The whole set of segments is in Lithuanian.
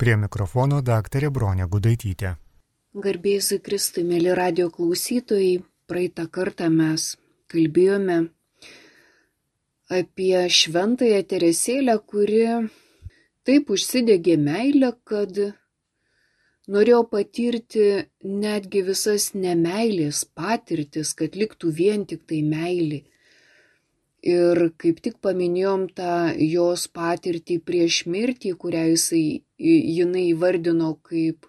Prie mikrofono daktarė Bronė Gudaitytė. Garbėsiu Kristui, mėly radio klausytojai, praeitą kartą mes kalbėjome apie šventąją Teresėlę, kuri taip užsidegė meilę, kad norėjo patirti netgi visas nemeilės patirtis, kad liktų vien tik tai meilė. Ir kaip tik paminėjom tą jos patirtį prieš mirtį, kurią jinai įvardino kaip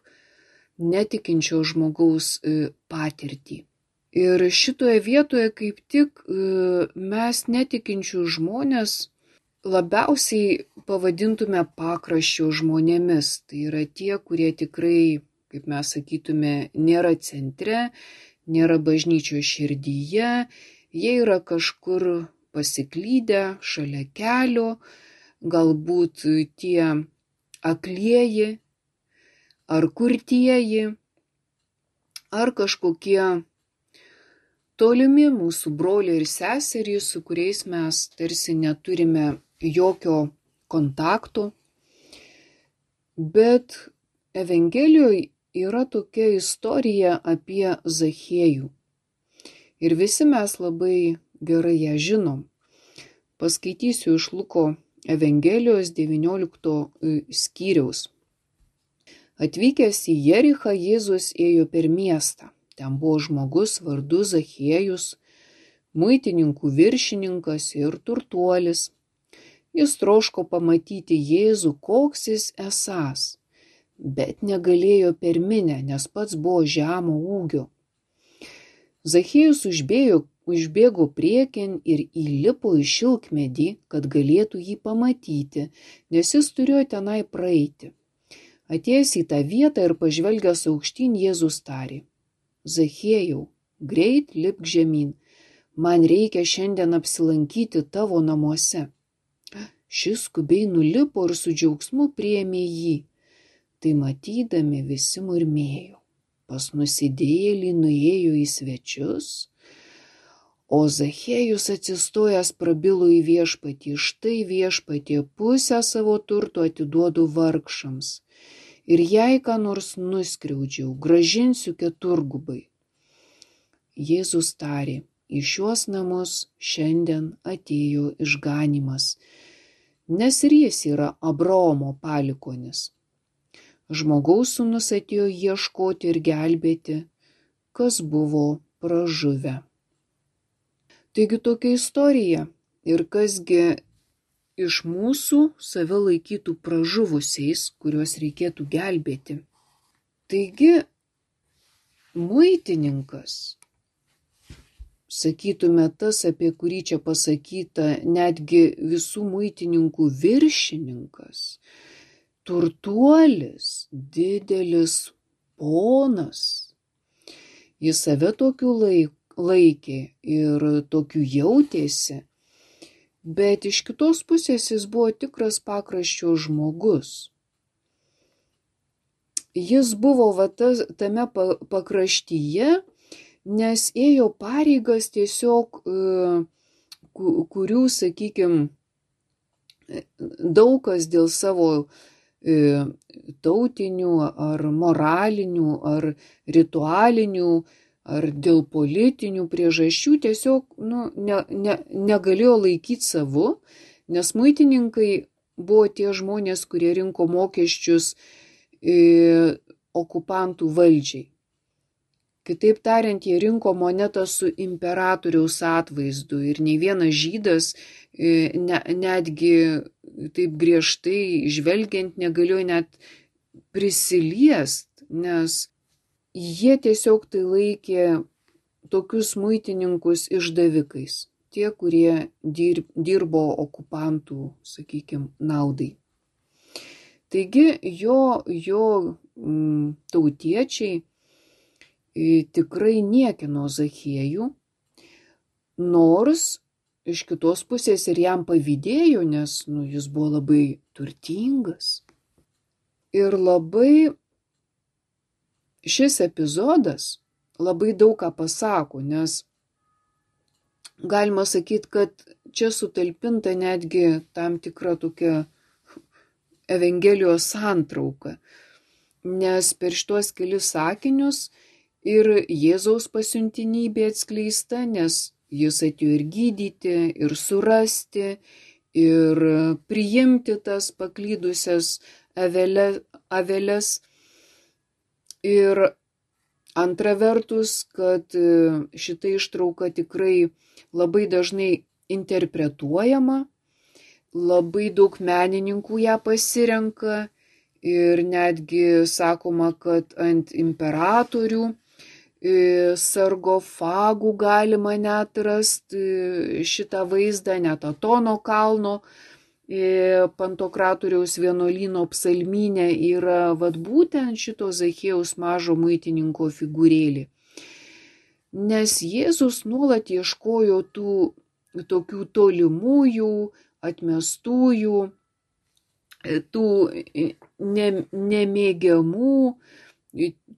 netikinčio žmogaus patirtį. Ir šitoje vietoje kaip tik mes netikinčių žmonės labiausiai pavadintume pakraščio žmonėmis. Tai yra tie, kurie tikrai, kaip mes sakytume, nėra centre, nėra bažnyčios širdyje, jie yra kažkur pasiklydę šalia kelio, galbūt tie aklieji, ar kurtieji, ar kažkokie tolimi mūsų broliai ir seserys, su kuriais mes tarsi neturime jokio kontakto. Bet Evangelijoje yra tokia istorija apie Zachiejų. Ir visi mes labai gerai ją žinom. Paskaitysiu iš Luko Evangelijos 19 skyriaus. Atvykęs į Jerichą, Jėzus ėjo per miestą. Ten buvo žmogus vardu Zachiejus, muitininkų viršininkas ir turtuolis. Jis troško pamatyti Jėzų, koks jis esąs, bet negalėjo per minią, nes pats buvo žemo ūgio. Zachiejus užbėgo priekin ir įlipo į šilkmedį, kad galėtų jį pamatyti, nes jis turėjo tenai praeiti. Atėjęs į tą vietą ir pažvelgęs aukštyn, Jėzus tarė: Zachiejau, greit lipk žemyn, man reikia šiandien apsilankyti tavo namuose. Šis skubiai nulipo ir su džiaugsmu priėmė jį. Tai matydami visi murmėjo: pas nusidėjėlį nuėjo į svečius. O Zachiejus atsistojęs prabilo į viešpatį: štai viešpatie, pusę savo turto atiduodu vargšams. Ir jei ką nors nuskriaudžiau, gražinsiu keturgubai. Jėzus tarė: į šiuos namus šiandien atėjo išganymas, nes ir jis yra Abraomo palikuonis. Žmogaus sūnus atėjo ieškoti ir gelbėti, kas buvo pražuvę. Taigi tokia istorija. Ir kasgi iš mūsų save laikytų pražuvusiais, kuriuos reikėtų gelbėti. Taigi muitininkas, sakytume tas, apie kurį čia pasakyta, netgi visų muitininkų viršininkas, turtuolis, didelis ponas, jis save tokiu laikė ir tokiu jautėsi, bet iš kitos pusės jis buvo tikras pakraščio žmogus. Jis buvo tame pakraštyje, nes ėjo pareigas tiesiog, kurių, sakykime, daug kas dėl savo tautinių ar moralinių ar ritualinių ar dėl politinių priežasčių tiesiog negalėjo laikyti savu, nes muitininkai buvo tie žmonės, kurie rinko mokesčius okupantų valdžiai. Kitaip tariant, jie rinko monetą su imperatoriaus atvaizdu ir nei vienas žydas netgi taip griežtai žvelgiant negalėjo net prisiliest, nes jie tiesiog tai laikė tokius muitininkus išdavikais, tie, kurie dirbo okupantų, sakykime, naudai. Taigi jo tautiečiai tikrai niekino Zachiejų, nors iš kitos pusės ir jam pavydėjo, nes jis buvo labai turtingas. Ir šis epizodas labai daug ką pasako, nes galima sakyti, kad čia sutalpinta netgi tam tikra tokia Evangelijos santrauka, nes per šitos kelis sakinius ir Jėzaus pasiuntinybė atskleista, nes jis atėjo ir gydyti, ir surasti, ir priimti tas paklydusias aveles. Ir antra vertus, kad šita ištrauka tikrai labai dažnai interpretuojama, labai daug menininkų ją pasirenka ir netgi sakoma, kad ant imperatorių sargofagų galima net rasti šitą vaizdą, net Atono kalno Pantokratoriaus vienuolyno psalmyne yra būtent šito Zachiejaus mažo muitininko figūrėlė. Nes Jėzus nuolat ieškojo tų tokių tolimųjų, atmestųjų, tų nemėgiamų,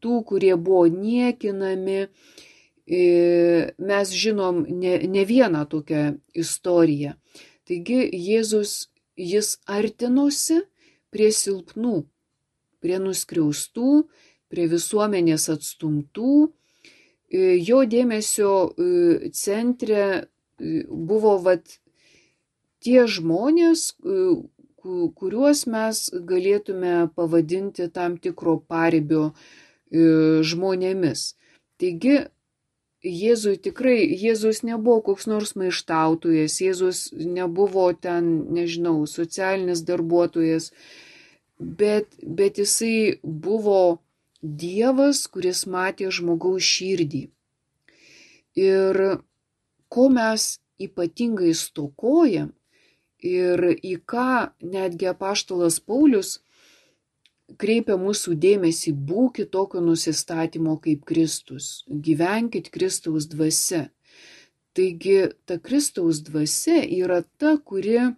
tų, kurie buvo niekinami. Mes žinom ne vieną tokią istoriją. Taigi Jis artinosi prie silpnų, prie nuskriaustų, prie visuomenės atstumtų. Jo dėmesio centre buvo tie žmonės, kuriuos mes galėtume pavadinti tam tikro paribio žmonėmis. Taigi, Jėzus nebuvo koks nors maištautojas, Jėzus nebuvo ten, socialinis darbuotojas, bet jisai buvo Dievas, kuris matė žmogaus širdį. Ir ko mes ypatingai stokojam ir į ką netgi apaštalas Paulius kreipia mūsų dėmesį: būkit tokio nusistatymo kaip Kristus, gyvenkit Kristaus dvasia. Taigi ta Kristaus dvasia yra ta, kuri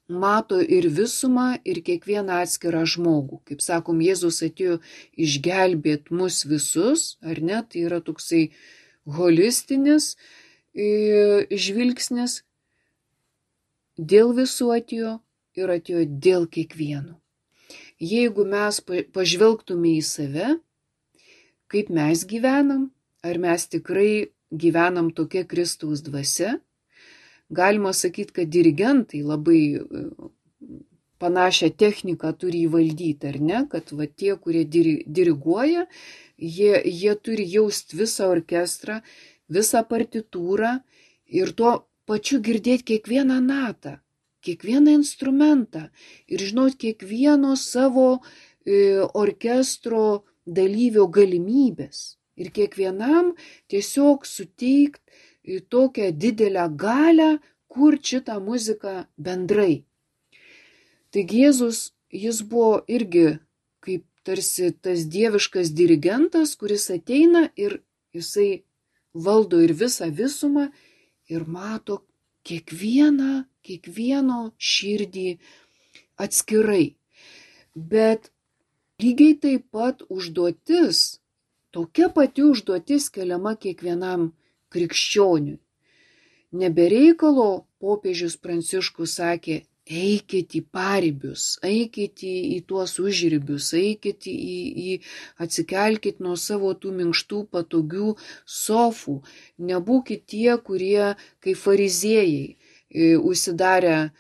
mato ir visumą, ir kiekvieną atskirą žmogų. Kaip sakom, Jėzus atėjo išgelbėti mus visus, ar ne? Tai yra toksai holistinis žvilgsnis. Dėl visų atėjo ir atėjo dėl kiekvieno. Jeigu mes pažvelgtume į save, kaip mes gyvenam, ar mes tikrai gyvenam tokia Kristaus dvasia, galima sakyti, kad dirigentai labai panašią techniką turi įvaldyti, ar ne? Kad tie, kurie diriguoja, jie turi jausti visą orkestrą, visą partitūrą ir tuo pačiu girdėti kiekvieną natą, kiekvieną instrumentą ir žinot kiekvieno savo orkestro dalyvio galimybės ir kiekvienam tiesiog suteikti tokią didelę galią kurti šitą muziką bendrai. Taigi Jėzus, jis buvo irgi kaip tarsi tas dieviškas dirigentas, kuris ateina ir jisai valdo ir visą visumą ir mato kiekvieno širdį atskirai. Bet lygiai taip pat užduotis, tokia pati užduotis keliama kiekvienam krikščioniui. Nebereikalo popiežius Pranciškus sakė: eikit į paribius, eikit į tuos užribius, eikit atsikelkit nuo savo tų minkštų, patogių sofų. Nebūkit tie, kurie kaip fariziejai užsidarę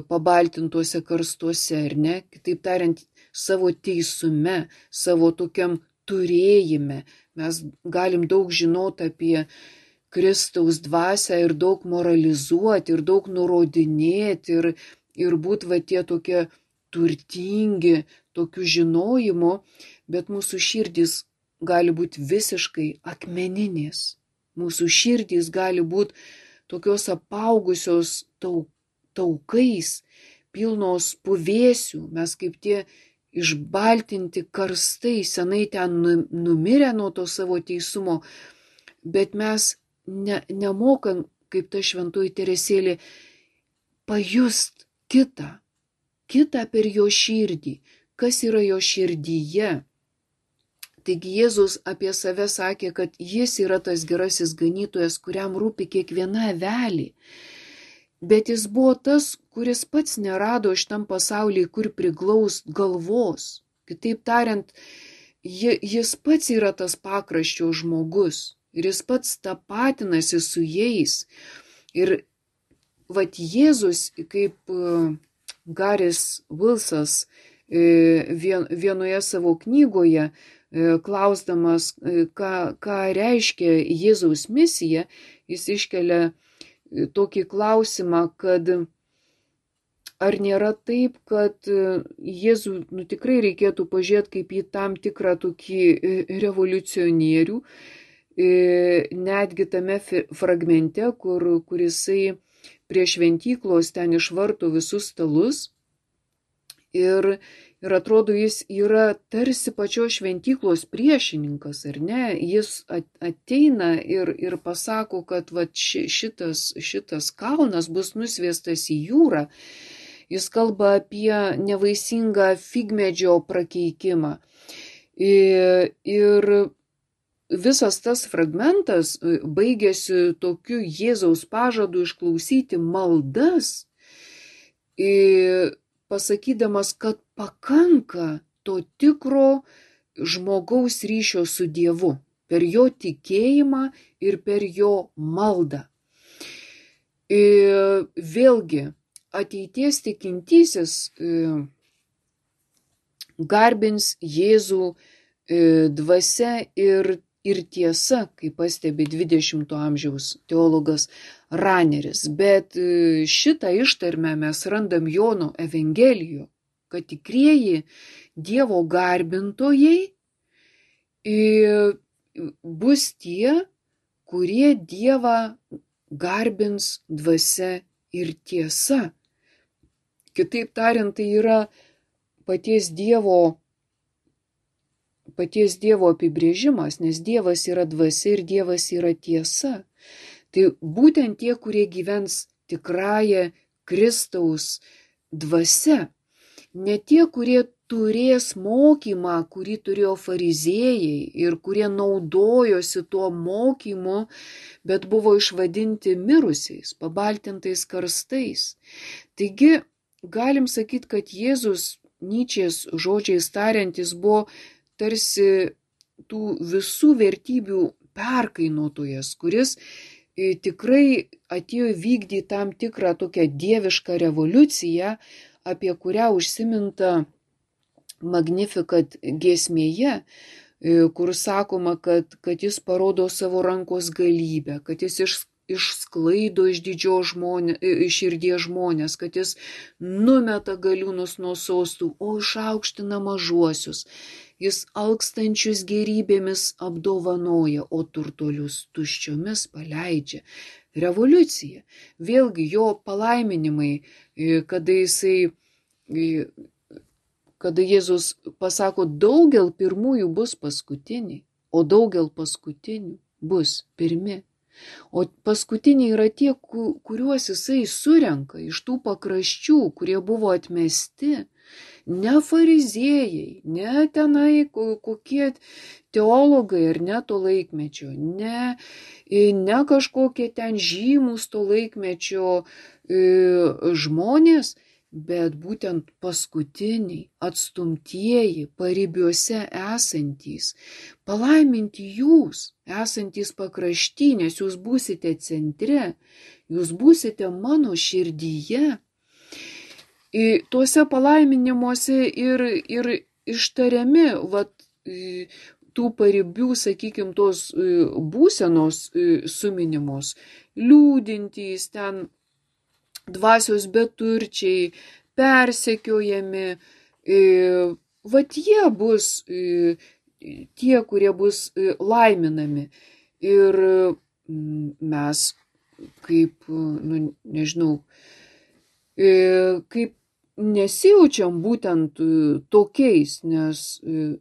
pabaltintuose karstuose, ar ne? Kitaip tariant, savo teisume, savo tokiam turėjime. Mes galim daug žinoti apie Kristaus dvasią ir daug moralizuoti, ir daug nurodinėti, ir būti tie tokie turtingi, tokių žinojimų, bet mūsų širdys gali būti visiškai akmeninės. Mūsų širdys gali būti tokios apaugusios taukais, pilnos puvėsių, mes kaip tie išbaltinti karstai, senai ten numirę nuo to savo teisumo, bet mes nemokam, kaip ta šventoji Teresėlė, pajust kitą per jo širdį, kas yra jo širdyje. Taigi Jėzus apie save sakė, kad jis yra tas gerasis ganytojas, kuriam rūpi kiekviena avelė. bet jis buvo tas, kuris pats nerado šitam pasaulyje, kur priglaust galvos. Kitaip tariant, jis pats yra tas pakraščio žmogus ir jis pats tapatinasi su jais. Ir vat Jėzus, kaip Garis Vilsas vienoje savo knygoje, klausdamas, ką reiškia Jėzaus misija, jis iškelia tokį klausimą, kad ar nėra taip, kad Jėzų tikrai reikėtų pažiūrėti kaip į tam tikrą tokį revoliucionierių, netgi tame fragmente, kur jisai prie šventyklos ten išvarto visus stalus ir atrodo, jis yra tarsi pačios šventyklos priešininkas, ar ne? Jis ateina ir pasako, kad vat šitas kalnas bus nusviestas į jūrą. Jis kalba apie nevaisingą figmedžio prakeikimą. Ir visas tas fragmentas baigėsi tokiu Jėzaus pažadu išklausyti maldas, pasakydamas, kad pakanka to tikro žmogaus ryšio su Dievu per jo tikėjimą ir per jo maldą. Vėlgi, ateities tikintysis garbins Jėzų dvasia ir tiesa, kaip pastebi 20 amžiaus teologas Raneris. Bet šitą ištarmę mes randam Jono Evangelijoje, kad tikrieji Dievo garbintojai bus tie, kurie Dievą garbins dvasia ir tiesa. Kitaip tariant, tai yra paties Dievo apibrėžimas, nes Dievas yra dvasia ir Dievas yra tiesa. Tai būtent tie, kurie gyvens tikrąją Kristaus dvasia, ne tie, kurie turės mokymą, kurį turėjo fariziejai ir kurie naudojosi tuo mokymu, bet buvo išvadinti mirusiais, pabaltintais karstais. Taigi, galim sakyti, kad Jėzus, Nyčės žodžiais tariant, jis buvo tarsi tų visų vertybių perkainotojas, kuris tikrai atėjo vykdyti tam tikrą tokią dievišką revoliuciją, apie kurią užsiminta Magnificat giesmėje, kur sakoma, kad jis parodo savo rankos galybę, kad jis išsklaido iš širdies žmonės, kad jis numeta galiūnus nuo sostų, o išaukština mažuosius. Jis alkstančius gerybėmis apdovanoja, o turtuolius tuščiomis paleidžia. Revoliucija. Vėlgi jo palaiminimai, kada Jėzus pasako, daugel pirmųjų bus paskutiniai, o daugel paskutinių bus pirmi. O paskutiniai yra tie, kuriuos jisai surenka iš tų pakraščių, kurie buvo atmesti. Ne fariziejai, ne tenai kokie teologai ar ne to laikmečio, ne kažkokie ten žymus to laikmečio žmonės, bet būtent paskutiniai, atstumtieji, paribiuose esantys. Palaiminti jūs, esantys pakrašty, nes jūs būsite centre, jūs būsite mano širdyje. Tuose palaiminimuose ir ištariami tų paribių, sakykime, tos būsenos suminimos, liūdintys ten, dvasios beturčiai, persekiojami, jie bus tie, kurie bus laiminami. Ir mes kaip, kaip nesijaučiam būtent tokiais, nes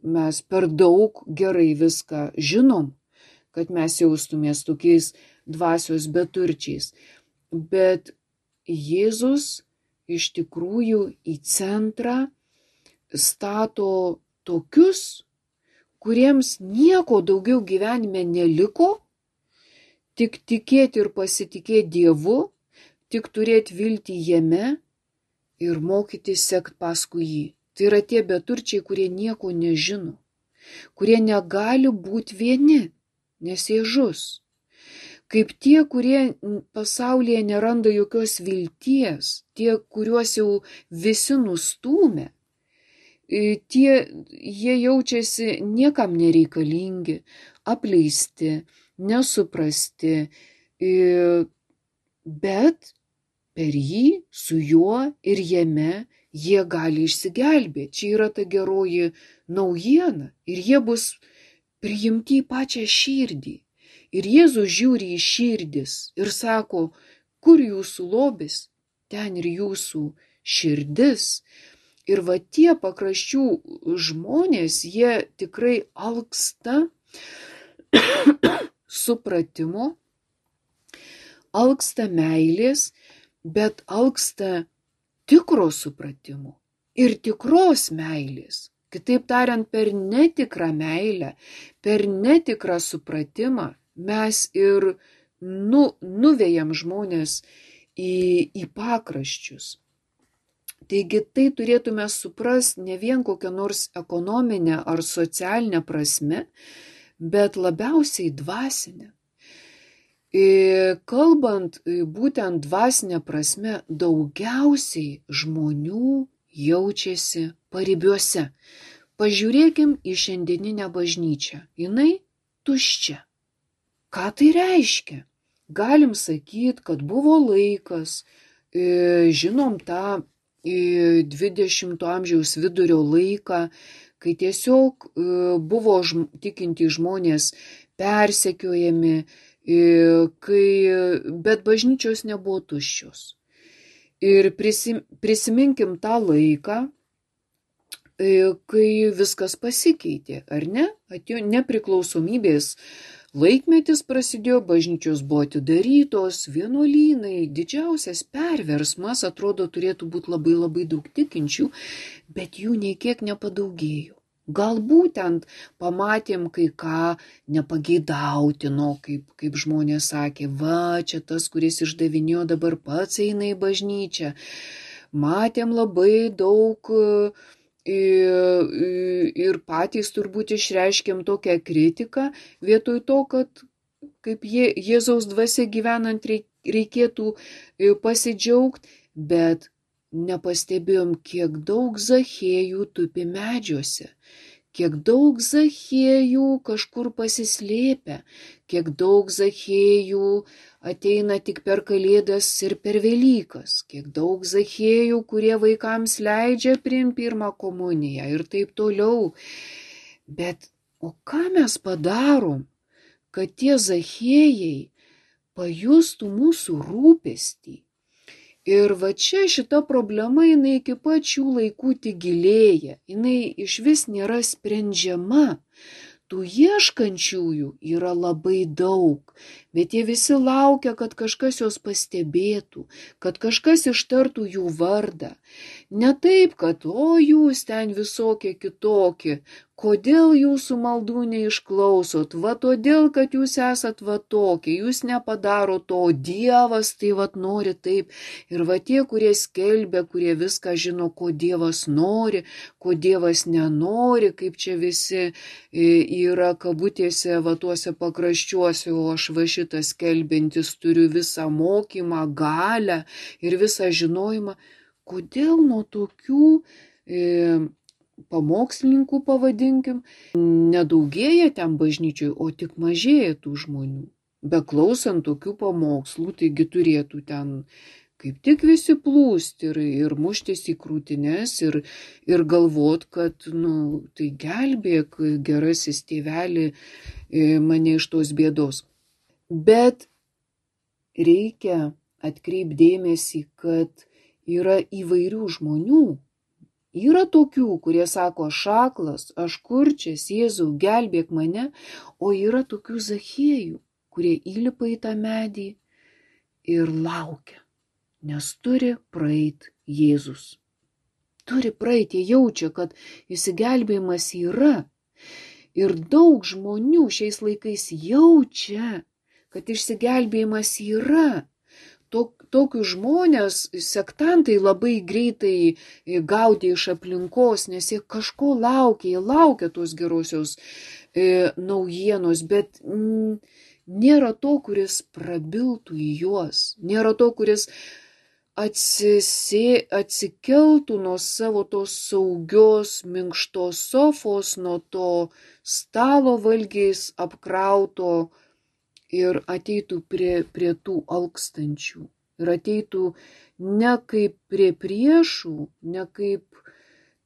mes per daug gerai viską žinom, kad mes jaustumės tokiais dvasios beturčiais. Bet Jėzus iš tikrųjų į centrą stato tokius, kuriems nieko daugiau gyvenime neliko, tik tikėti ir pasitikėti Dievu, tik turėti viltį jame ir mokytis sekt paskui jį. Tai yra tie beturčiai, kurie nieko nežino, kurie negali būti vieni, nes jie žus. Kaip tie, kurie pasaulyje neranda jokios vilties, tie, kuriuos jau visi nustūmė, jie jaučiasi niekam nereikalingi, apleisti, nesuprasti, bet per jį, su juo ir jame jie gali išsigelbėti. Čia yra ta geroji naujiena ir jie bus priimti į pačią širdį. Ir Jėzus žiūri į širdis ir sako, kur jūsų lobis, ten ir jūsų širdis. Ir va tie pakraščių žmonės, jie tikrai alksta supratimo, alksta meilės, bet alksta tikro supratimo ir tikros meilės. Kitaip tariant, per netikrą meilę, per netikrą supratimą mes ir nuvejam žmonės į pakraščius. Taigi tai turėtume suprasti ne vien kokią nors ekonominę ar socialinę prasme, bet labiausiai dvasinę. Kalbant būtent dvasinę prasme, daugiausiai žmonių jaučiasi paribiuose. Pažiūrėkim į šiandieninę bažnyčią. Jinai tuščia. Ką tai reiškia? Galim sakyti, kad buvo laikas, žinom tą 20 amžiaus vidurio laiką, kai tiesiog buvo tikinti žmonės persekiojami, bet bažnyčios nebuvo tuščios. Ir prisiminkim tą laiką, kai viskas pasikeitė, ar ne? Atėjo nepriklausomybės laikmetis prasidėjo, bažnyčios buvo atidarytos, vienuolynai, didžiausias perversmas, atrodo, turėtų būti labai labai daug tikinčių, bet jų nei kiek nepadaugėjo. Gal būtent pamatėm kai ką nepageidautino, kaip žmonės sakė, va, čia tas, kuris išdavinėjo, dabar pats eina į bažnyčią. Matėm labai daug ir patys turbūt išreiškėm tokią kritiką, vietoj to, kad kaip Jėzaus dvasia gyvenant reikėtų pasidžiaugti, bet nepastebėjom, kiek daug Zachiejų tupi medžiuose, kiek daug Zachiejų kažkur pasislėpia, kiek daug Zachiejų ateina tik per Kalėdas ir per Velykas, kiek daug Zachiejų, kurie vaikams leidžia priimti pirmą komuniją ir taip toliau. Bet o ką mes padarom, kad tie Zachiejai pajustų mūsų rūpestį? Ir va čia šita problema, jinai iki pačių laikų tik gilėja, jinai iš vis nėra sprendžiama. Tų ieškančiųjų yra labai daug, bet jie visi laukia, kad kažkas juos pastebėtų, kad kažkas ištartų jų vardą. Ne taip, kad o jūs ten visokie kitokie, kodėl jūsų maldų neišklausot, va todėl, kad jūs esat va tokie, jūs nepadaro to, Dievas tai va nori taip. Ir va tie, kurie skelbia, kurie viską žino, ko Dievas nori, ko Dievas nenori, kaip čia visi yra kabutėse va tuose pakraščiuose, o aš va šitas skelbiantis turiu visą mokymą, galią ir visą žinojimą. Kodėl nuo tokių pamokslininkų, pavadinkim, nedaugėja ten bažnyčioj, o tik mažėja tų žmonių. Beklausant tokių pamokslų, taigi turėtų ten kaip tik visi plūsti ir muštis į krūtines ir galvot, kad, tai gelbėk, gerasis tėveli, mane iš tos bėdos. Bet reikia atkreipti dėmesį, kad yra įvairių žmonių. Yra tokių, kurie sako, aš aklas, aš kurčias, Jėzau, gelbėk mane, o yra tokių Zachiejų, kurie įlipa į tą medį ir laukia, nes turi praeit Jėzus. Turi praeit, jie jaučia, kad išsigelbėjimas yra. Ir daug žmonių šiais laikais jaučia, kad išsigelbėjimas yra. tokius žmonės sektantai labai greitai gaudė iš aplinkos, nes jie kažko laukia, jie laukia tos gerosios naujienos, bet nėra to, kuris prabiltų į juos, nėra to, kuris atsikeltų nuo savo tos saugios, minkštos sofos, nuo to stalo valgiais apkrauto ir ateitų prie tų alkstančių. Ir ateitų ne kaip prie priešų, ne kaip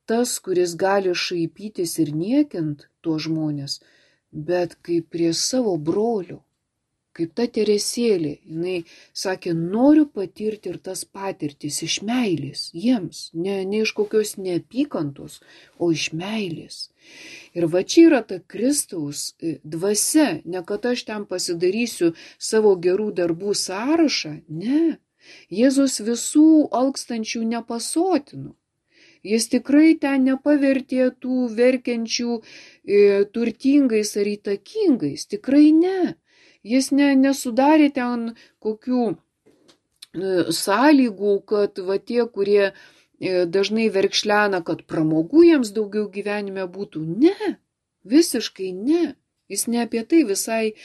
tas, kuris gali šaipytis ir niekint tuos žmonės, bet kaip prie savo brolio. Kaip ta Teresėlė, jinai sakė, noriu patirti ir tas patirtis iš meilės jiems, ne iš kokios neapykantos, o iš meilės. Ir va čia yra ta Kristaus dvasia, ne kad aš ten pasidarysiu savo gerų darbų sąrašą, ne. Jėzus visų alkstančių nepasotino. Jis tikrai ten nepavertė tų verkiančių turtingais ar įtakingais, tikrai ne. Jis nesudarė ten kokių sąlygų, kad va tie, kurie dažnai verkšlena, kad pramogų jiems daugiau gyvenime būtų. Ne, visiškai ne. Jis ne apie tai visai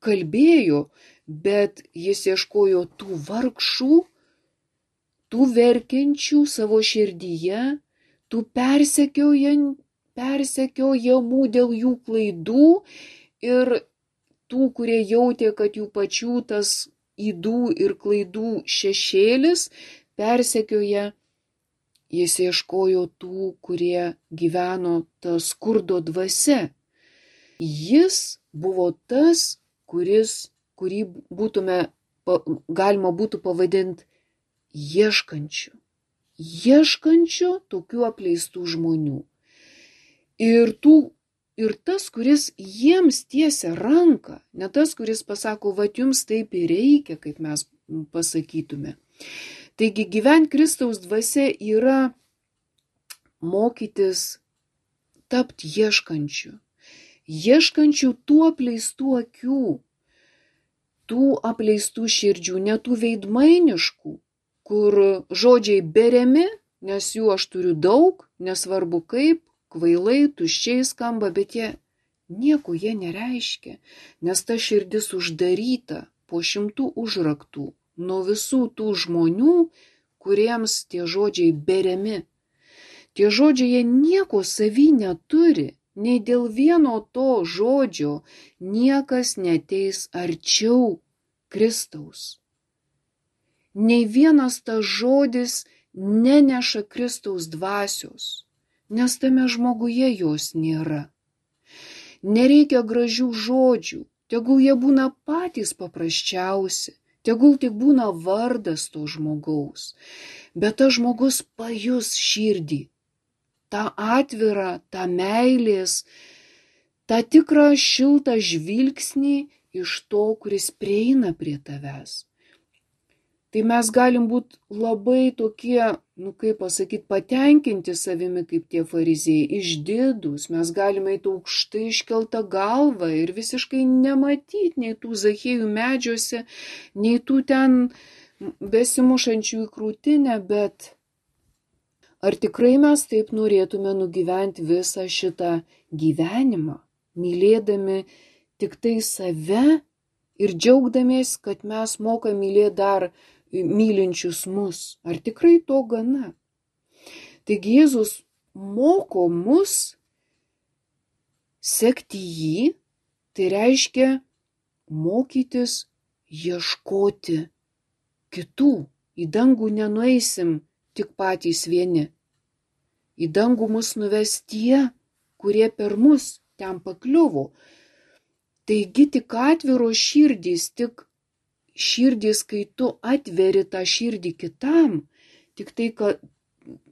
kalbėjo, bet jis ieškojo tų vargšų, tų verkiančių savo širdyje, tų persekiojamų dėl jų klaidų ir tų, kurie jautė, kad jų pačių tas ydų ir klaidų šešėlis persekioja, jis ieškojo tų, kurie gyveno tą skurdo dvasia. Jis buvo tas, kurį galima būtų pavadinti ieškančiu. Ieškančiu tokių apleistų žmonių. Ir tas, kuris jiems tiesia ranką, ne tas, kuris pasako, va jums taip ir reikia, kaip mes pasakytume. Taigi gyventi Kristaus dvasia yra mokytis tapti ieškančiu. Ieškančių tų apleistų akių, tų apleistų širdžių, ne tų veidmainiškų, kur žodžiai beriami, nes jų aš turiu daug, nesvarbu kaip, kvailai, tuščiai skamba, bet nieko jie nereiškia, nes ta širdis uždaryta po 100 užraktų nuo visų tų žmonių, kuriems tie žodžiai beriami. Tie žodžiai jie nieko savy neturi, nei dėl vieno to žodžio niekas neteis arčiau Kristaus. Nei vienas tas žodis neneša Kristaus dvasios, nes tame žmoguje jos nėra. Nereikia gražių žodžių, tegul jie būna patys paprasčiausi, tegul tik būna vardas to žmogaus, bet tas žmogus pajus širdį, tą atvirą, tą meilės, tą tikrą šiltą žvilgsnį iš to, kuris prieina prie tavęs. Tai mes galim būti labai tokie, patenkinti savimi kaip tie fariziejai, išdidūs, mes galime eiti aukštai iškeltą galvą ir visiškai nematyti nei tų Zachiejų medžiuose, nei tų ten besimušančių į krūtinę, bet ar tikrai mes taip norėtume nugyventi visą šitą gyvenimą, mylėdami tik tai save ir džiaugdamiesi, kad mes mokame mylėti dar mylinčius mus. Ar tikrai to gana? Taigi Jėzus moko mus sekti jį, tai reiškia mokytis ieškoti kitų. Į dangų nenueisim tik patys vieni. Į dangų mus nuves tie, kurie per mus ten pakliuvo. Taigi tik atviros širdys, tik širdys, kai tu atveri tą širdį kitam, tik tai, kad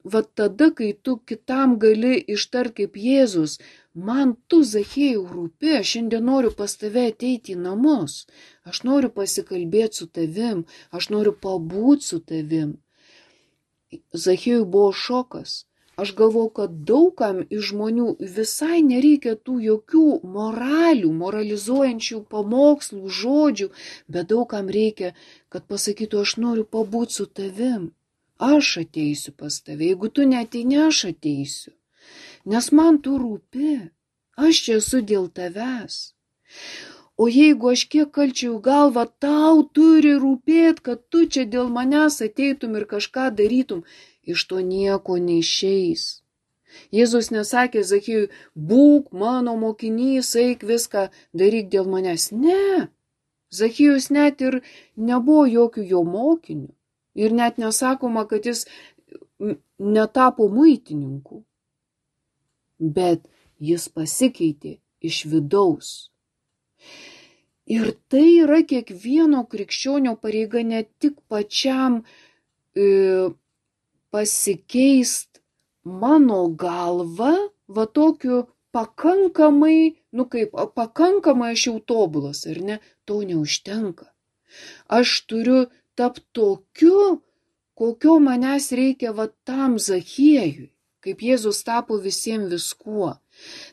va tada, kai tu kitam gali ištart kaip Jėzus, man tu, Zachiejau, rūpi, aš šiandien noriu pas tave ateiti į namus, aš noriu pasikalbėti su tavim, aš noriu pabūti su tavim. Zachiejui buvo šokas, Aš galvoju, kad daugam iš žmonių visai nereikia tų jokių moralizuojančių pamokslų, žodžių, bet daugam reikia, kad pasakytų, aš noriu pabūti su tavim. Aš ateisiu pas tave, jeigu tu neateini, aš ateisiu. Nes man tu rūpi, aš čia esu dėl tavęs. O jeigu aš kiek kalčiau galvą, tau turi rūpėti, kad tu čia dėl manęs ateitum ir kažką darytum, iš to nieko neišeis. Jėzus nesakė Zachiejui, būk mano mokinys, eik viską daryk dėl manęs. Ne, Zachiejus net ir nebuvo jokių jo mokinių. Ir net nesakoma, kad jis netapo muitininku. Bet jis pasikeitė iš vidaus. Ir tai yra kiekvieno krikščionio pareiga, ne tik pačiam pasikeist mano galva, va tokiu pakankamai, pakankamai aš jau tobulas, ar ne, to neužtenka. Aš turiu tapti tokiu, kokio manęs reikia va tam Zachiejui, kaip Jėzus tapo visiems viskuo.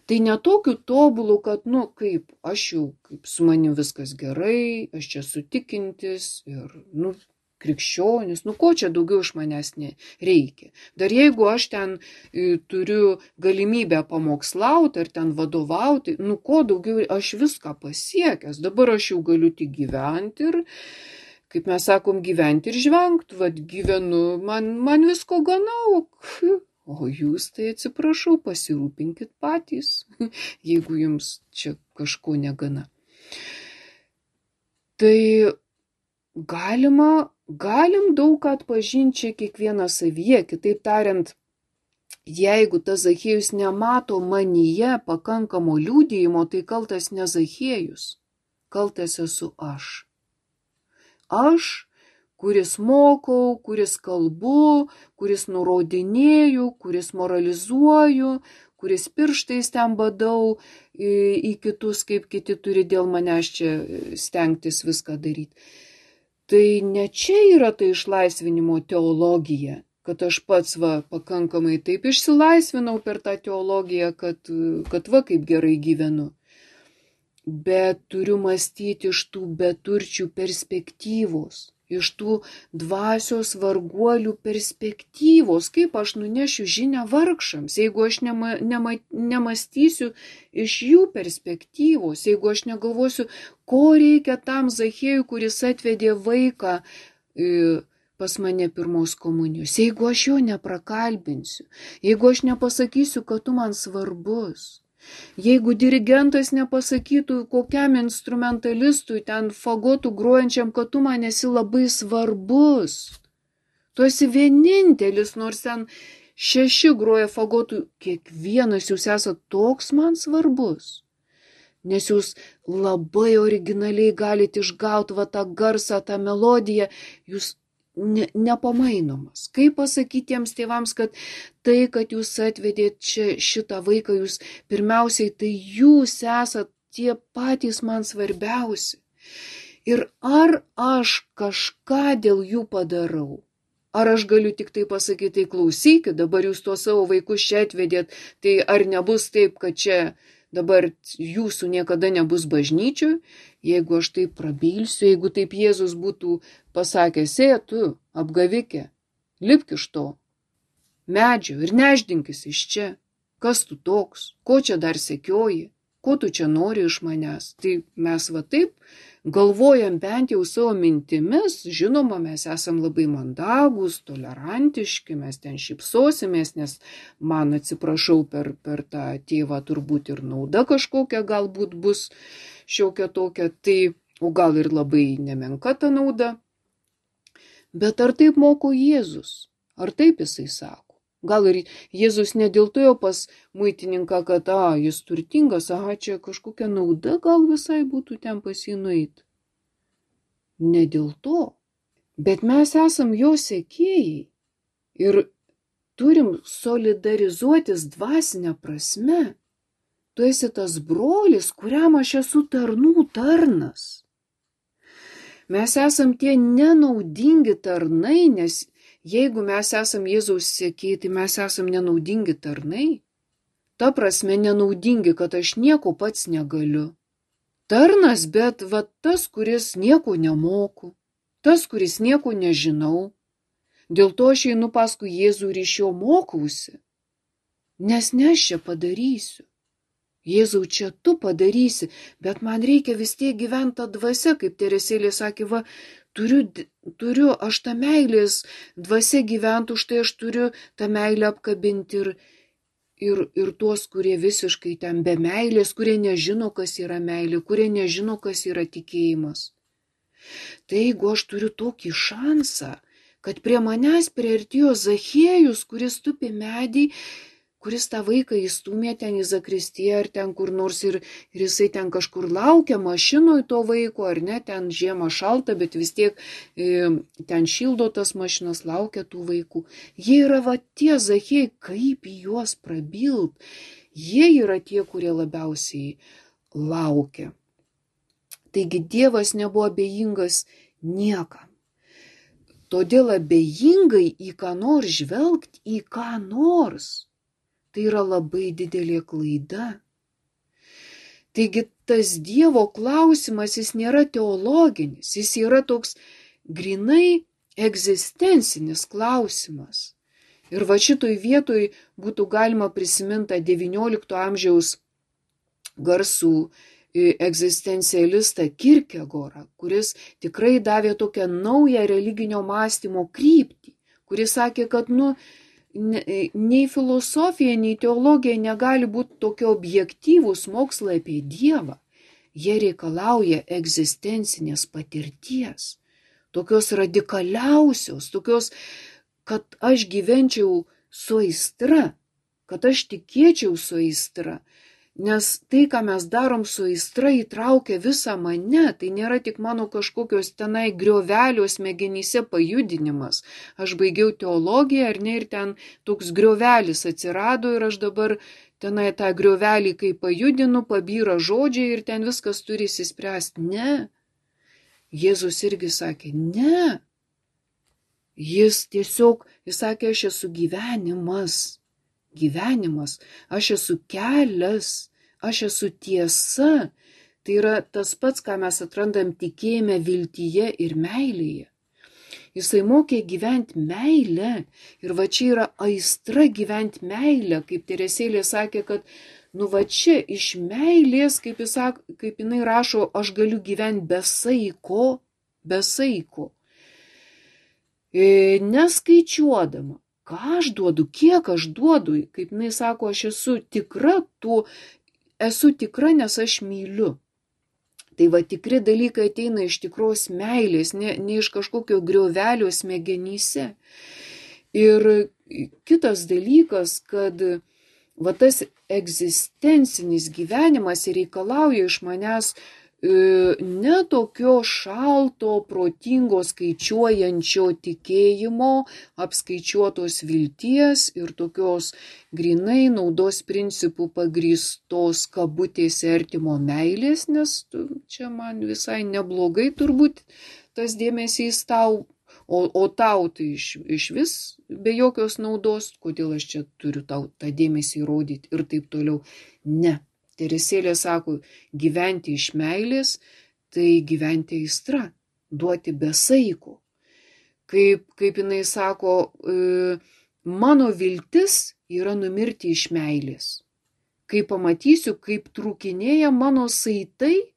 Tai netokiu tobulu, kad, kaip aš jau, kaip su manim viskas gerai, aš čia sutikintis ir, krikščionis, ko čia daugiau iš manęs nereikia. Dar jeigu aš ten turiu galimybę pamokslauti ar ten vadovauti, ko daugiau, aš viską pasiekęs, dabar aš jau galiu tik gyventi ir, kaip mes sakom, gyventi ir žvengti, gyvenu, man visko gana, o jūs tai atsiprašau, pasirūpinkit patys, jeigu jums čia kažko negana. Tai galim daug ką atpažinti čia kiekvieną savyje, kitaip tariant, jeigu tas Zachiejus nemato manyje pakankamo liudijimo, tai kaltas ne Zachiejus, kaltas esu aš. Aš, kuris mokau, kuris kalbu, kuris nurodinėju, kuris moralizuoju, kuris pirštais ten badau į kitus, kaip kiti turi dėl manęs čia stengtis viską daryti. Tai ne čia yra ta išlaisvinimo teologija, kad aš pats pakankamai taip išsilaisvinau per tą teologiją, kad kaip gerai gyvenu. Bet turiu mąstyti iš tų beturčių perspektyvos, iš tų dvasios varguolių perspektyvos, kaip aš nunešiu žinią vargšams, jeigu aš nemąstysiu iš jų perspektyvos, jeigu aš negalvosiu, ko reikia tam Zachiejui, kuris atvedė vaiką pas mane pirmos komunijos, jeigu aš jo neprakalbinsiu, jeigu aš nepasakysiu, kad tu man svarbus. Jeigu dirigentas nepasakytų kokiam instrumentalistui, ten fagotų grojančiam, kad tu man esi labai svarbus. Tu esi vienintelis, nors ten 6 groja fagotų, kiekvienas jūs esate toks man svarbus. Nes jūs labai originaliai galite išgauti tą garsą, tą melodiją, jūs nepamainomas. Kaip pasakyti tiems tėvams, kad tai, kad jūs atvedėt šitą vaiką, jūs pirmiausiai, tai jūs esat tie patys man svarbiausi. Ir ar aš kažką dėl jų padarau? Ar aš galiu tik tai pasakyti, tai klausykit, dabar jūs tuos savo vaikus čia atvedėt, tai ar nebus taip, kad čia dabar jūsų niekada nebus bažnyčių? Jeigu aš taip prabilsiu, jeigu taip Jėzus būtų pasakęs, tu, apgavikė, lipk iš to medžio ir neždinkis iš čia. Kas tu toks? Ko čia dar sekioji? Ko tu čia nori iš manęs? Tai mes taip galvojam bent jau savo mintimis, žinoma, mes esam labai mandagūs, tolerantiški, mes ten šypsosimės, nes man, atsiprašau, per tą tėvą turbūt ir nauda kažkokia galbūt bus šiokia tokia, tai, o gal ir labai nemenka ta nauda. Bet ar taip moko Jėzus? Ar taip jisai sako? Gal ir Jėzus ne dėl to jau pas muitininką, kad jis turtingas, čia kažkokia nauda gal visai būtų ten pas jį nueiti. Ne dėl to. Bet mes esam jo sekėjai ir turim solidarizuotis dvasinę prasme. Tu esi tas brolis, kuriam aš esu tarnų tarnas. Mes esam tie nenaudingi tarnai, nes jeigu mes esam Jėzaus sekėjai, tai mes esam nenaudingi tarnai. Ta prasme nenaudingi, kad aš nieko pats negaliu. Tarnas, bet va tas, kuris nieko nemoku, tas, kuris nieko nežinau. Dėl to aš einu paskui Jėzų ir iš jo mokausi. Nes ne aš čia padarysiu. Jėzau, čia tu padarysi, bet man reikia vis tiek gyventi tą dvasią, kaip Teresėlė sakė, va, turiu aš tą meilės dvasią gyventi, už tai aš turiu tą meilę apkabinti ir tuos, kurie visiškai ten be meilės, kurie nežino, kas yra meilė, kurie nežino, kas yra tikėjimas. Tai jeigu aš turiu tokį šansą, kad prie manęs priartėjo Zachiejus, kuris tupi medį, kuris tą vaiką įstumė ten į zakristiją ar ten kur nors ir jisai ten kažkur laukia mašinoj to vaiko, ar ne, ten žiemą šalta, bet vis tiek ten šildo tas mašinas, laukia tų vaikų. Jie yra va tie Zachiejai, kaip į juos prabilt. Jie yra tie, kurie labiausiai laukia. Taigi Dievas nebuvo abejingas niekam. Todėl abejingai į ką nors žvelgti, į ką nors. Tai yra labai didelė klaida. Taigi tas Dievo klausimas, jis nėra teologinis, jis yra toks grinai egzistencinis klausimas. Ir va šitoj vietoj būtų galima prisiminti 19 amžiaus garsų egzistencialistą Kierkegaardą, kuris tikrai davė tokią naują religinio mąstymo kryptį, kuris sakė, kad nei filosofija, nei teologija negali būti tokie objektyvūs mokslai apie Dievą. Jie reikalauja egzistencinės patirties, tokios radikaliausios, tokios, kad aš gyvenčiau su aistra, kad aš tikėčiau su aistra. Nes tai, ką mes darom su aistra, įtraukia visą mane, tai nėra tik mano kažkokios tenai griovelio smegenyse pajudinimas. Aš baigiau teologiją, ar ne, ir ten toks griovelis atsirado ir aš dabar tenai tą griovelį, kai pajudinu, pabyra žodžiai ir ten viskas turi įsispręsti. Ne. Jėzus irgi sakė, ne. Jis sakė, aš esu gyvenimas, aš esu kelias, aš esu tiesa. Tai yra tas pats, ką mes atrandam tikėjime, viltyje ir meilėje. Jisai mokė gyventi meilę ir va čia yra aistra gyventi meilę, kaip Teresėlė sakė, kad va čia iš meilės, kaip jinai rašo, aš galiu gyventi be saiko, neskaičiuodama. Ką aš duodu, kiek aš duodu, kaip jinai sako, aš esu tikra, nes aš myliu. Tai va tikri dalykai ateina iš tikros meilės, ne iš kažkokio griovelio smegenyse. Ir kitas dalykas, kad va tas egzistencinis gyvenimas reikalauja iš manęs ne tokio šalto, protingo, skaičiuojančio tikėjimo, apskaičiuotos vilties ir tokios grinai naudos principų pagrįstos kabutėse artimo meilės, nes čia man visai neblogai turbūt tas dėmesys tau, o tau tai iš vis be jokios naudos, kodėl aš čia turiu tau tą dėmesį rodyti ir taip toliau. Ne. Teresėlė sako, gyventi iš meilės, tai gyventi aistra, duoti be saiko. Kaip jinai sako, mano viltis yra numirti iš meilės. Kai pamatysiu, kaip trūkinėja mano saitai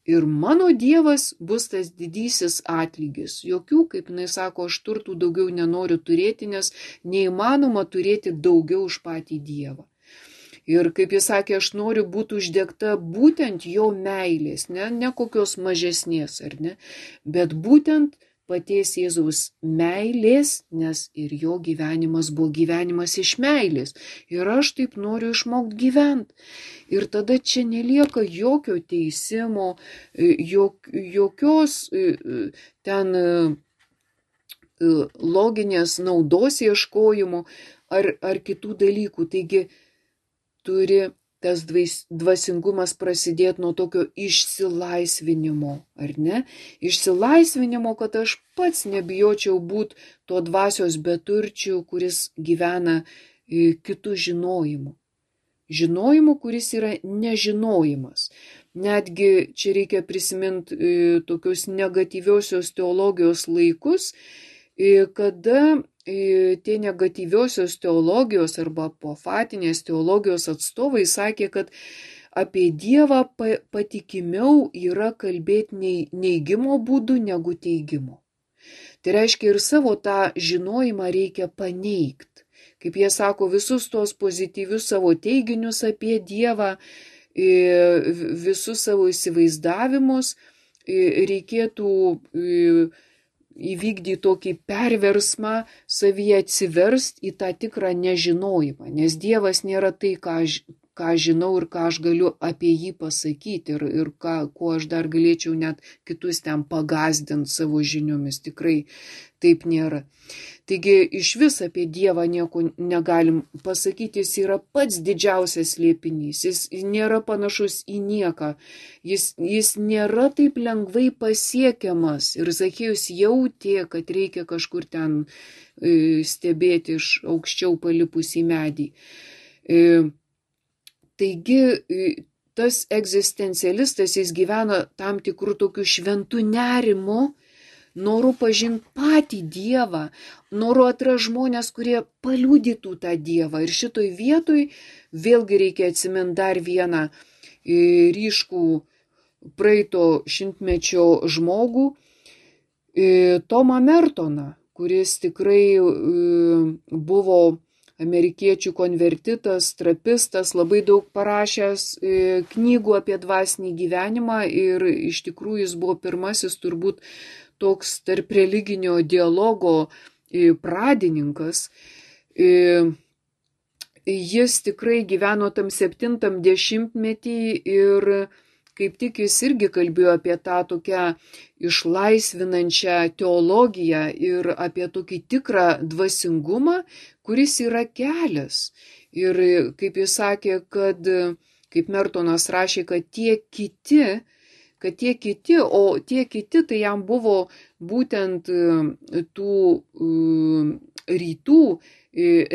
ir mano Dievas bus tas didysis atlygis. Jokių, kaip jinai sako, aš turtų daugiau nenoriu turėti, nes neįmanoma turėti daugiau už patį Dievą. Ir kaip jis sakė, aš noriu būti uždegta būtent jo meilės, ne kokios mažesnės, ar ne, bet būtent paties Jėzaus meilės, nes ir jo gyvenimas buvo gyvenimas iš meilės. Ir aš taip noriu išmokti gyventi. Ir tada čia nelieka jokio teisimo, jokios ten loginės naudos ieškojimo ar kitų dalykų. Taigi, turi tas dvasingumas prasidėti nuo tokio išsilaisvinimo, ar ne? Išsilaisvinimo, kad aš pats nebijočiau būti to dvasios beturčių, kuris gyvena kitų žinojimu. Žinojimu, kuris yra nežinojimas. Netgi čia reikia prisiminti tokius negatyviosios teologijos laikus, kada tie negatyviosios teologijos arba apofatinės teologijos atstovai sakė, kad apie Dievą patikimiau yra kalbėti neigimo būdu negu teigimo. Tai reiškia, ir savo tą žinojimą reikia paneigti. Kaip jie sako, visus tos pozityvius savo teiginius apie Dievą, visus savo įsivaizdavimus reikėtų įvykdyti tokį perversmą, savyje atsiversti į tą tikrą nežinojimą, nes Dievas nėra tai, ką žinau ir ką aš galiu apie jį pasakyti ir kuo aš dar galėčiau net kitus ten pagazdinti savo žiniomis. Tikrai taip nėra. Taigi iš vis apie Dievą nieko negalim pasakyti, jis yra pats didžiausias slėpinys, jis nėra panašus į nieką, jis nėra taip lengvai pasiekiamas ir Zachiejus jautė, kad reikia kažkur ten stebėti iš aukščiau palipus į medį. Taigi tas egzistencialistas, jis gyvena tam tikrų tokių šventų nerimų, noru pažinti patį Dievą, noru atrasti žmonės, kurie paliudytų tą Dievą. Ir šitoj vietoj vėlgi reikia atsiminti dar vieną ryškų praeito šimtmečio žmogų, Tomą Mertoną, kuris tikrai buvo amerikiečių konvertitas, trapistas, labai daug parašęs knygų apie dvasinį gyvenimą ir iš tikrųjų jis buvo pirmasis turbūt toks tarp religinio dialogo pradininkas. Jis tikrai gyveno tam 70-metį ir kaip tik jis irgi kalbėjo apie tą tokią išlaisvinančią teologiją ir apie tokį tikrą dvasingumą, kuris yra kelias. Ir kaip jis sakė, kad, kaip Mertonas rašė, kad tie kiti, o tie kiti tai jam buvo būtent tų rytų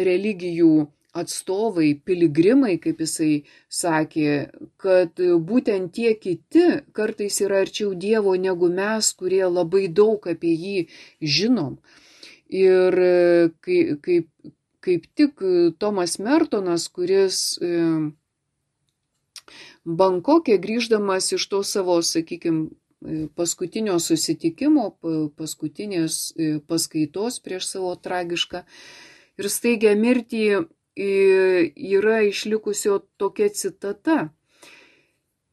religijų atstovai, piligrimai, kaip jisai sakė, kad būtent tie kiti kartais yra arčiau Dievo negu mes, kurie labai daug apie jį žinom. Ir kaip tik Tomas Mertonas, kuris Bankoke grįždamas iš to savo, sakykime, paskutinio susitikimo, paskutinės paskaitos prieš savo tragišką ir staigią mirtį, yra išlikusio tokia citata.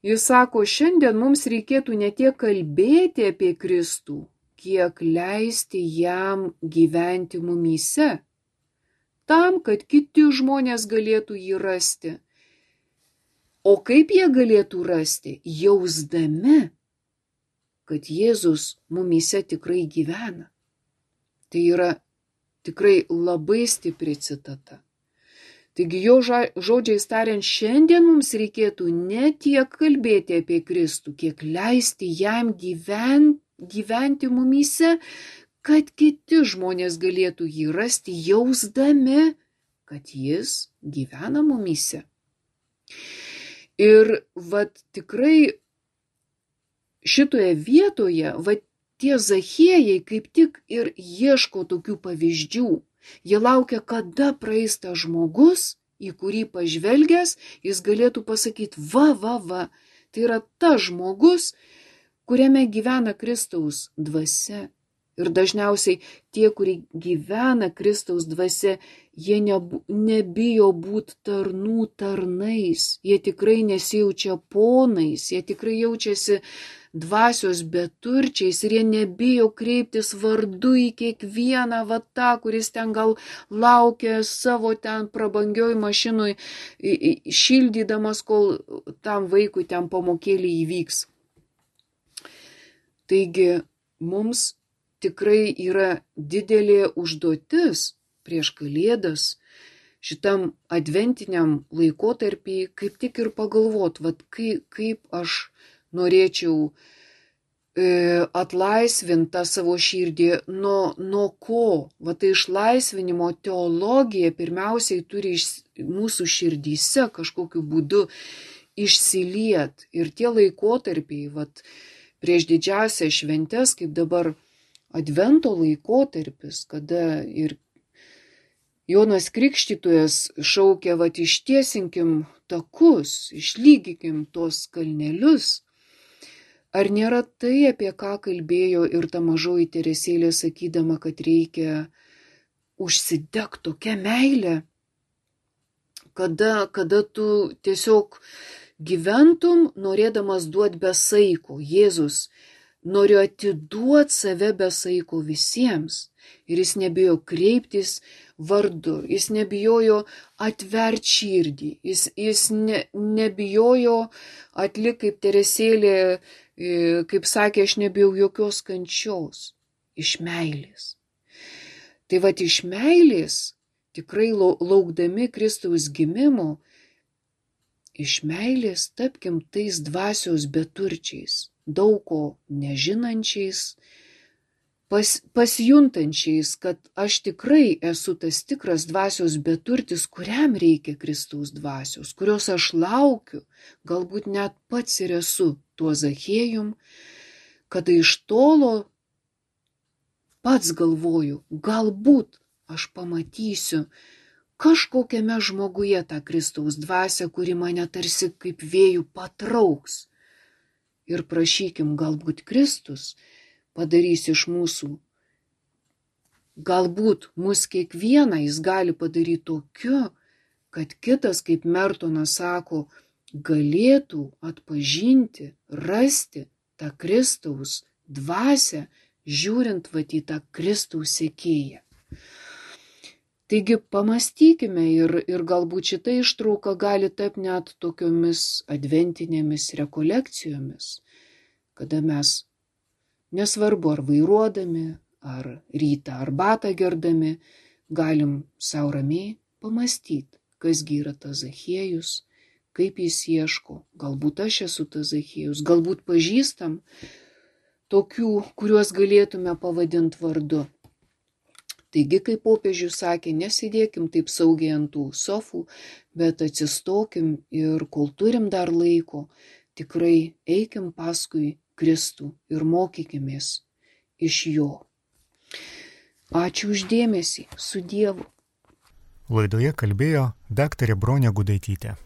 Jis sako, šiandien mums reikėtų ne tiek kalbėti apie Kristų, kiek leisti jam gyventi mumyse, tam, kad kiti žmonės galėtų jį rasti. O kaip jie galėtų rasti? Jausdami, kad Jėzus mumyse tikrai gyvena. Tai yra tikrai labai stipri citata. Taigi jo žodžiais tariant, šiandien mums reikėtų ne tiek kalbėti apie Kristų, kiek leisti jam gyventi mumyse, kad kiti žmonės galėtų jį rasti, jausdami, kad jis gyvena mumyse. Ir tikrai šitoje vietoje, tie Zachiejai kaip tik ir ieško tokių pavyzdžių. Jie laukia, kada praeis tas žmogus, į kurį pažvelgęs, jis galėtų pasakyti, va, tai yra tas žmogus, kuriame gyvena Kristaus dvasia. Ir dažniausiai tie, kurie gyvena Kristaus dvasia, jie nebijo būti tarnų tarnais, jie tikrai nesijaučia ponais, jie tikrai jaučiasi dvasios beturčiais ir jie nebijo kreiptis vardu į kiekvieną tą, kuris ten gal laukia savo ten prabangioj mašinui, šildydamas, kol tam vaikui ten pamokėlį įvyks. Taigi mums tikrai yra didelė užduotis prieš Kalėdas šitam adventiniam laikotarpį kaip tik ir pagalvot, vat kaip aš norėčiau atlaisvinti tą savo širdį nuo ko. Va tai išlaisvinimo teologija pirmiausiai turi mūsų širdyse kažkokiu būdu išsiliet. Ir tie laikotarpiai, vat, prieš didžiausias šventes, kaip dabar advento laikotarpis, kada ir Jonas Krikštytojas šaukia, vat, ištiesinkim takus, išlygikim tuos kalnelius. Ar nėra tai, apie ką kalbėjo ir ta mažoji Teresėlė, sakydama, kad reikia užsidegti tokią meilę, kada tu tiesiog gyventum, norėdamas duoti be saiko. Jėzus norėjo atiduoti save be saiko visiems. Ir jis nebijo kreiptis vardu, jis nebijojo atverti širdį, jis nebijojo atlikti kaip Teresėlė, kaip sakė, aš nebijau jokios kančios, iš meilės. Tai vat iš meilės, tikrai laukdami Kristaus gimimo, iš meilės tapkim tais dvasios beturčiais, daug ko nežinančiais, pasijuntančiais, kad aš tikrai esu tas tikras dvasios beturtis, kuriam reikia Kristaus dvasios, kurios aš laukiu, galbūt net pats ir esu tuo Zachiejum, kada iš tolo pats galvoju, galbūt aš pamatysiu kažkokiame žmoguje tą Kristaus dvasią, kuri mane tarsi kaip vėjų patrauks. Ir prašykim, galbūt Kristus padarys iš mūsų, galbūt mus kiekvieną jis gali padaryti tokiu, kad kitas, kaip Mertonas sako, galėtų atpažinti, rasti tą Kristaus dvasią, žiūrint vat į tą Kristaus sekėją. Taigi pamastykime ir galbūt šita ištrauka gali tapti net tokiomis adventinėmis rekolekcijomis, kada mes, nesvarbu ar vairuodami, ar rytą arbatą gerdami, galim savo ramiai pamastyti, kasgi yra tas Zachiejus, kaip jis ieško, galbūt aš esu tas Zachiejus, galbūt pažįstam tokių, kuriuos galėtume pavadinti vardu. Taigi, kaip popiežius sakė, nesėdėkim taip saugiai ant tų sofų, bet atsistokim ir kol turim dar laiko, tikrai eikim paskui Kristų ir mokykimės iš jo. Ačiū už dėmesį, su Dievu. Laidoje kalbėjo daktarė Bronė Gudaitytė.